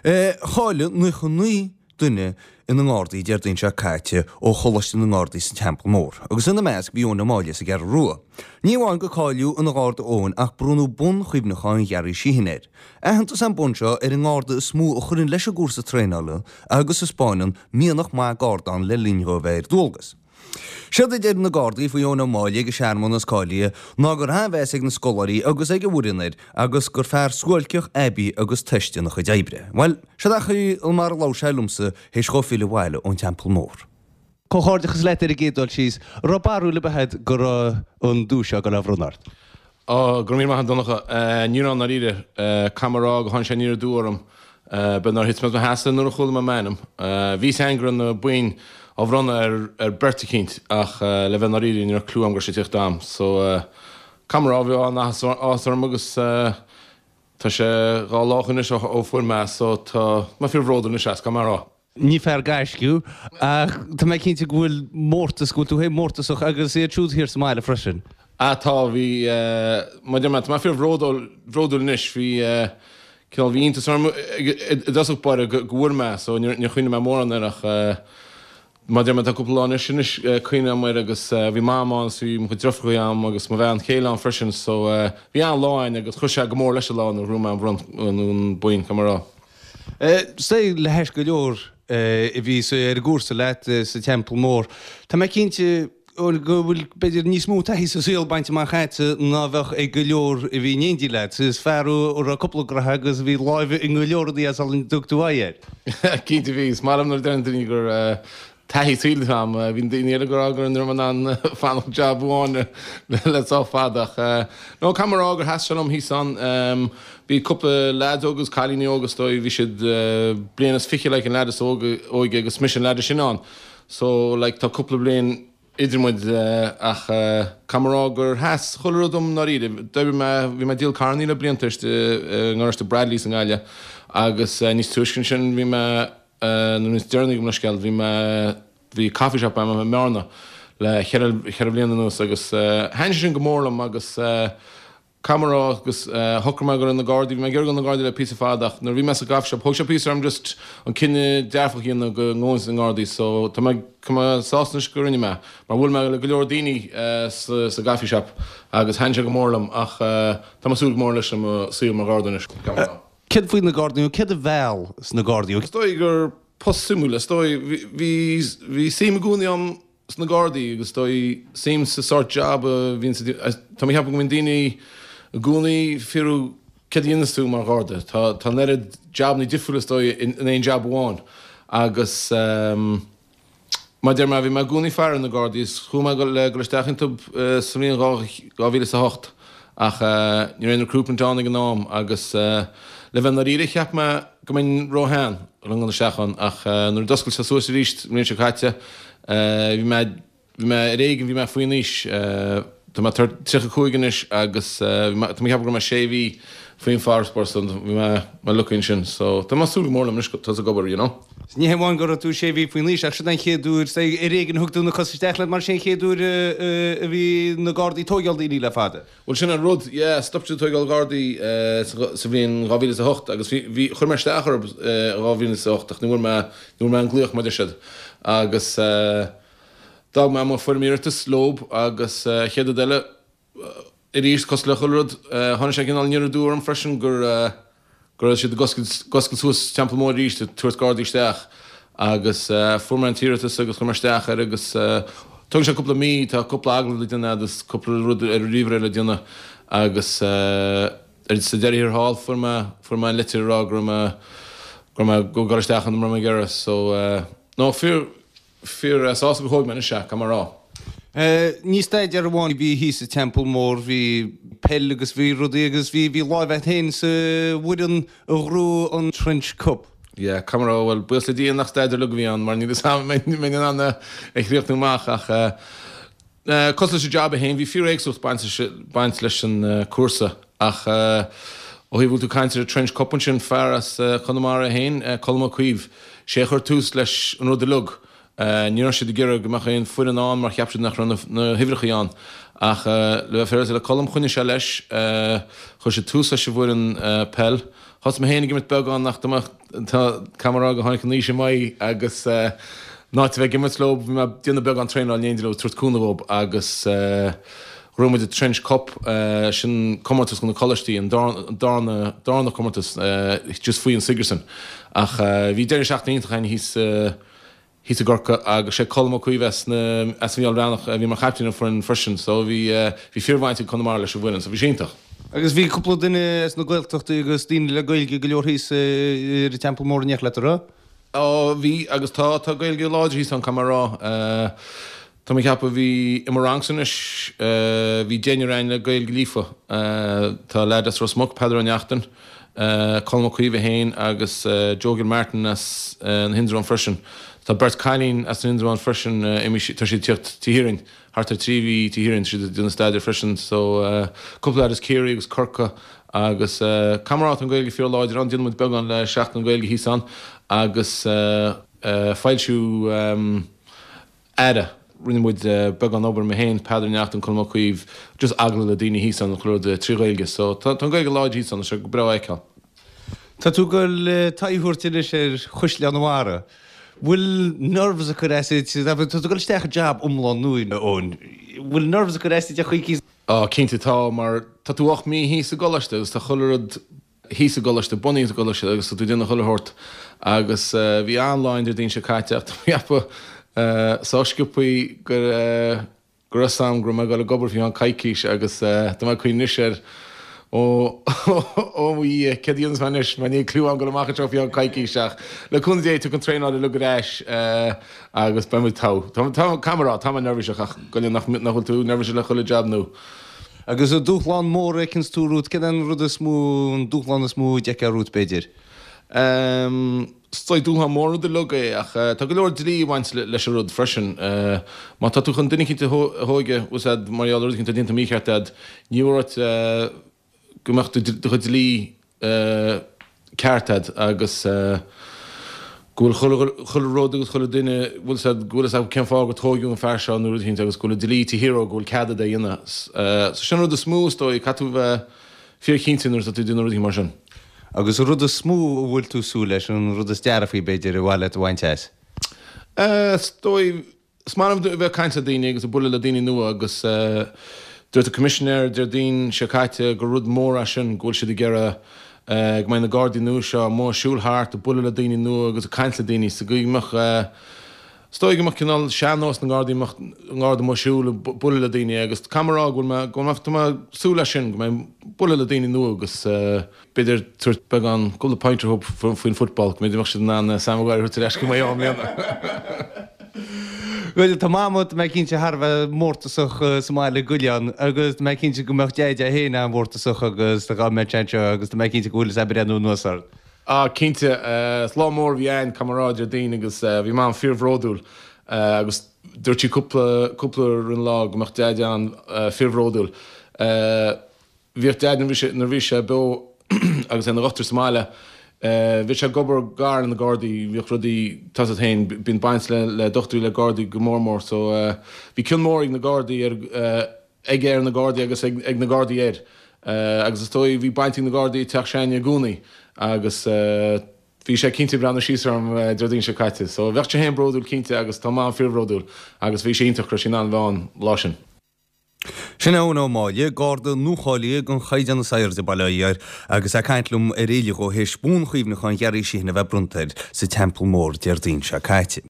Cháiligh 99 duine ina nGardaí Déardaoin seo caite ó Choláiste na nGardaí sa Teampall Mór, agus ina measc bhí Eoin Ó Máille as an gCeathrú Rua. Ní amháin go cáilíodh ina Gharda Eoin ach bronnadh bonn chuimhneacháin Ghearaí Sheehan air. Aitheantas an bonn seo ar an nGarda is mó a chuireann leis an gcúrsa traenála agus a 'spáineann mianach maith Gardán le linn dhó a bheith ar dualgas. Séard a deir na Gardaí faoi Eoin Ó Máille ag an searmanas cáilithe ná go raibh an-mheas ag na scoláirí agus ag an bhfoireann air agus gur fear suáilceach, aibí agus toiste ina chuid oibre. Bhuel, seo é an chaoi mar a labhair sé liomsa théis dhó filleadh abhaile ón Teampall Mór. Comhghairdeachas leat ar an gcéad dul síos. An raibh barúil ar bith agat go raibh an duais seo ag dul á bhronnadh ort? Ó, go raibh míle maith agat a Dhonncha. Ní raibh i ndáiríre. Caithfidh mé a rá gur tháinig sé aniar aduaidh orm. B'fhéidir nár thit mé as mo sheasamh nuair a chuala mé m'ainm. Bhí fhios a'inn go raibh na boinn á bhronnadh ar ar beirt eicínt ach le bheith i ndáiríre ní raibh clue a'm go raibh sé ag tíocht dom. So, caithfidh mé a rá bhí an-áthas orm agus tá sé dha lá ó shoin anois ó fuair mé é so tá mé fíor bhródúil anois as, caithfidh mé a rá. Ní fear gaisce thú, ach tá mé cinnte go bhfuil mórtas, go bhfuil tú féin mórtasach agus iad siúd thiar sa mbaile freisin. Ah tá, bhí, mar a deir mé, tá mé fíor bhródúil, bhródúil anois, bhí, cineál, bhí iontas orm i dtosach báire go bhfuair mé so níor, níor chuimhnigh mé mórán air ach mar a deir mé tá cúpla lá anois, anois cuimhním air agus bhí Mam ann agus bhí mo chuid deirfiúracha a'm agus mo bhean chéile ann freisin so bhí an-lá againn agus chuir sé go mór leis an lá nuair a ghnóthaigh mé an bhronn, an boinn, caithfidh mé a rá. Sea, le hais go leor a bhí ar an gcúrsa leat sa Teampall Mór, tá mé cinnte go bhfuil b'fhéidir níos mó taithí sa saol bainte amach agatsa ná bheadh ag go leor a bhí in éindí leat. Is fear thú a raibh cúpla graithe agus a bhí láimh i go leor rudaí sula dtug tú aghaidh air. Cinnte bhí. Is maith liom nuair a deireann daoine gur taithí saoil atá a'm. Bhí daoine eile ag rá go raibh mé in ann fanacht job amháin le sách fada ach no caithfidh mé a rá gur sheas sé liom thíos ann. Bhí cúpla leaids óga agus cailíní óga is dóigh, bhí siad bliain is fiche like an leaid is óige agus mise an leaid is sine ann. So like tá cúpla bliain idir muid ach caithfidh mé a rá gur sheas chuile rud dom i ndáiríre. D'oibrigh mé, bhí mé ag díol carrannaí le blianta istigh i ngaráiste Bradleys i nGaillimh agus níos túisce ansin bhí mé nó níos deireanaí gabh mo leithscéal, bhí mé, bhí coffee shop agam i mBearna le cheithre, cheithre bhliana anuas agus thaitin sé sin go mór liom agus caithfidh mé a rá agus shocraigh mé go raibh na Gardaí, bhí mé ag iarraidh dul na Gardaí le píosa fada ach nuair a bhí mé sa gcoffee shop thóg sé píosa orm just an cinneadh dearfach a dhéanamh go ngabhfainn sna Gardaí so tá mé, tá mé sásta anois go rinne mé mar bhuail mé le go leor daoine sa, sa gcoffee shop agus thaitin sé go mór liom ach tá mé ag súil go mór leis an mo saol mar Gharda anois, caithfidh mé a rá. Céard faoi na Gardaí nó céard a mheall sna Gardaí? Is dóigh gur post suimiúil, is dóigh, bhí, bhí suim i gcónaí agam sna Gardaí agus is dóigh suim sa sórt job a bhíonn sa, tá mé ag ceapadh go mbíonn daoine i gcónaí ag fiafraí céard a dhéanas tú mar Gharda, tá, tá an oiread jabanna difriúla is dóigh in aon job amháin agus ehm, Mar a deir mé, bhí mé i gcónaí ag faire ar na Gardaí is chuaigh mé le dul isteach iontu sa mbliain 2008 ach ní raibh aon recruitment ann ag an am agus le bheith ndáiríre cheap mé go mbeinn róshean le dhul isteach ann ach nuair a d'oscail sé suas arís an bhliain seo caite bhí mé Bhí mé ar éigean, bhí mé faoin aois. Tá mé 35 anois agus tá mé ag ceapadh go raibh mé sé mhí faoin bhfarasbarr so bhí mé mé lucky ansin. So tá mé ag súil go mór liom anois tosú ag obair, you know. Ní hé amháin go raibh tú sé mhí faoin aois ach sin an chéad uair, ar éigean a thug tú na cosa isteach leat mar sin an chéad uair a bhí na Gardaí ag tóigeáil daoine le fada. Bhuel sin an rud, yeah, stop siad ag tóigeáil Gardaí sa bhliain 2008 agus bhí, bhí, chuir mé isteach orthu i 2008 ach ní bhfuair mé, ní bhfuair mé an glaoch mar a deir siad agus eh, D'fhág mé mo foirm iarratais leob agus chéad rud eile, arís, cosúil le chuile rud, tháinig sé cineál aniar aduaidh orm freisin go go raibh siad ag oscailt suas Teampall Mór arís, ag tabhairt Gardaí isteach agus fuair mé an t-iarratas agus chuir mé isteach air agus tógann sé cúpla mí, tá cúpla agallamh le déanamh agus cúpla rud ar an ríomhaire le déanamh agus sa deireadh thiar thall fuair mé fuair mé an litir ag rá go raibh mé go raibh mé ag dul isteach ann mura raibh mé ag iarraidh so no fíor Fíor sásta gur thóg mé anois é, caithfidh mé a rá. Ní staidéar amháin a bhí thíos sa Teampall Mór, bhí peil agus bhí rudaí agus bhí bhí láimh agat féin sa bhfoireann a ghnóthaigh an Trench Cup. Yeah, caithfidh mé a rá, bhuel, buíochas le Dia nach staidéar uilig a bhí ann mar níl 'fhios a'm an mbeinn in ann é a chríochnú amach ach cosúil leis an jab é féin, bhí fíor-éagsúlacht baint leis an cúrsa ach ó thaobh bhfuil tú ag caint ar an Trench Cup ansin, fear as Conamara é féin, Colm Ó Caoimh, sé a chuir tús leis an rud uilig. Ní raibh siad ag iarraidh go mbeadh aon foireann ann mar cheap siad nach raibh na huimhreacha ann ach le bheith féaráilte le Colm, choinnigh sé leis, chuir sé tús leis an bhfoireann peil. Thosaigh mé féin ag imirt beagán ach tá mé, tá, caithfidh mé a rá gur tháinig an aois i m'aghaidh agus in áit a bheith ag imirt leo, bhí mé ag déanamh beagán traenáil in éindí leo, ag tabhairt cúnamh dhób agus ghnóthaigh muid an Trench Cup, sin comórtas do na coláistí, an darna, darna comórtas just faoi an Sigerson. Ach bhí deireadh seachtaine iontach againn thíos thíos i gCorcaigh agus sé Colm Ó Caoimh as na, as an Mheall Bhreathnach a bhí mar chaiptín ar an foireann freisin so bhí, bhí fíorbhaint ag Conamara leis an bhfoireann so bhí sé iontach. Agus bhí cúpla duine as na Gaeltachtaí agus daoine le Gaeilge go leor thíos ar an Teampall Mór in éineacht leat, an raibh? Ó bhí agus tá, tá Gaeilge láidir thíos ann caithfidh mé a rá. Tá mé ag ceapadh, bhí, i mo rangsa anois, bhí deichniúr againn le Gaeilge líofa. Tá leaid as Ros Muc, Peadar Ó Neachtain, Colm Ó Caoimh é féin agus Joe Gilmartin as na hIndreabháin freisin. Tá beirt cailín as na hIndreabháin freisin, tá siad ag tíocht Tigh Sheerin, thart ar trí mhí Tigh Sheerin, tá siad ag déanamh staidéir freisin. So, cúpla leaid as Ciarraí agus Corcaigh agus caithfidh mé a rá tá an Ghaeilge fíor láidir ann, déanann muid beagán le Seachtain na Gaeilge thíos ann agus foilsiú Aire. Rinne muid beagán obair, mé féin, Peadar Ó Neachtain, Colm Ó Caoimh, just agallamh le daoine thíos ann, chuile rud trí Ghaeilge. So tá an Ghaeilge láidir thíos ann, tá sé go breá a fheiceáil. Tá tú ag dul t'aghaidh a thabhairt anois ar Chaisleán an Bharraigh. Bhfuil nerves ag cur as duit? Tá tú ag dul isteach i jab iomlán nua, Eoin. Bhfuil nerves ag cur as duit ar chaoi éicint? Á, cinnte tá, mar tá tú 8 mí thíos i gcoláiste agus tá chuile rud thíos i gcoláiste, bunaithe i gcoláiste agus tá tú ag déanamh chuile shórt agus bhí an-lá an Déardaoin seo caite ach tá mé ag ceapadh sách sciobthaí go raibh go raibh 'fhios a'm go raibh mé ag dul ag obair faoi cheann coicís agus tá mé ag cuimhneamh anois air ó ó mo Dhia céard a dhéanfas mé anois mar níl cliú a'm dul amach anseo faoi cheann coicís ach le cúnamh Dé tiocfaidh an traenáil uilig ar ais agus beidh muid togha. Tá tá caithfidh mé a rá tá mé neirbhíseach ach go nach nach bhfuil tú neirbhíseach le chuile jab nua. Agus an dúshlán mór a fheiceanns tú romhat, cén an rud is mó, an dúshlán is mó a d'fheicfeá romhat, b'fhéidir? Is dóigh dúshlán mór an rud uilig é ach tá go leor dlí ag baint leis an rud freisin. Má tá tú chun duine eicínt a thóigeadh, bhfuil 's a'd, mar gheall ar rud eicínt atá déanta mícheart a'd, ní mór duit go mbeadh do chuid dlí ceart a'd agus go bhfuil chuile rud agus chuile duine, bhfuil 's a'd, go bhfuil 'fhios acu cén fáth gur tóigeadh an fear seo nó rud eicínt agus go bhfuil an dlí taobh thiar dhó, go bhfuil cead a'd é a dhéanamh. So sin an rud is mó is dóigh, caithfidh tú bheith fíorchinnte nuair atá tú ag déanamh rudaí mar sin. Agus an rud is mó a bhfuil tú ag súil leis, an rud is dearfaí b'fhéidir ar mhaith leat a bhaint as? Is dóigh Is maith liom a bheith ag caint le daoine agus ag bualadh le daoine nua agus dúirt an Coimisinéir Déardaoin seo caite gur rud mór é sin go bhfuil siad ag iarraidh go mbeidh na Gardaí nua seo amuigh ag siúl thart ag bualadh le daoine nua agus ag caint le daoine sa gcaoi go mbeadh is dóigh go mbeadh cineál sean-nós na nGardaí mbeadh an Garda amuigh ag siúl ag bualadh le daoine agus caithfidh mé a rá go bhfuil mé go bhfuil mé tá mé ag súil leis sin go mbeidh bualadh le daoine nua agus b'fhéidir tabhairt beagán cúpla pointe dhóibh faoin football, go mb'fhéidir mbeadh siad in ann Sam Maguire a thabhairt ar ais go Maigh Eo i mbliana. Bhuel, tá Mama, tá mé cinnte, thar a bheith mórtasach sa mbaile i gCuilleán agus tá mé cinnte go mbeadh Deaide é féin an-mhórtasach agus dá mbeadh sé anseo agus tá mé cinnte go bhfuil sé ag breathnú anuas ort. Ah, cinnte. Is lá mór a bhí ann, caithfidh mé a rá, Déardaoin agus bhí Mam fíorbhródúil agus dúirt sí cúpla, cúpla uair an lá go mbeadh Deaide an-fhíorbhródúil. Bhíodh Deaid nuair bhí nuair bhí sé beo agus é ina dhochtúir sa mbaile, bhíodh sé ag obair gar le na Gardaí, bhíodh rudaí, tá's agat féin, bíonn baint le le dochtúirí le Gardaí go mór mór so bhí cion mór ag na Gardaí ar aige ar na Gardaí agus ag ag na Gardaí air agus is dóigh bhí baint ag na Gardaí i teach s'againne i gcónaí agus bhí sé cinnte ag breathnú síos orm Déardaoin seo caite so bheadh sé féin bródúil cinnte agus tá Mam fíorbhródúil agus bhí sé iontach go raibh sí in ann a bheith ann lá sin. Sin Eoin Ó Máille, Garda nuacháilithe den chaighdeán is airde, bail ó Dhia air, agus é ag caint liom ar fhilleadh dhó théis Bonn Chuimhneacháin Gharry Sheehan a bheith bronnta air sa Teampall Mór Déardaoin seo caite.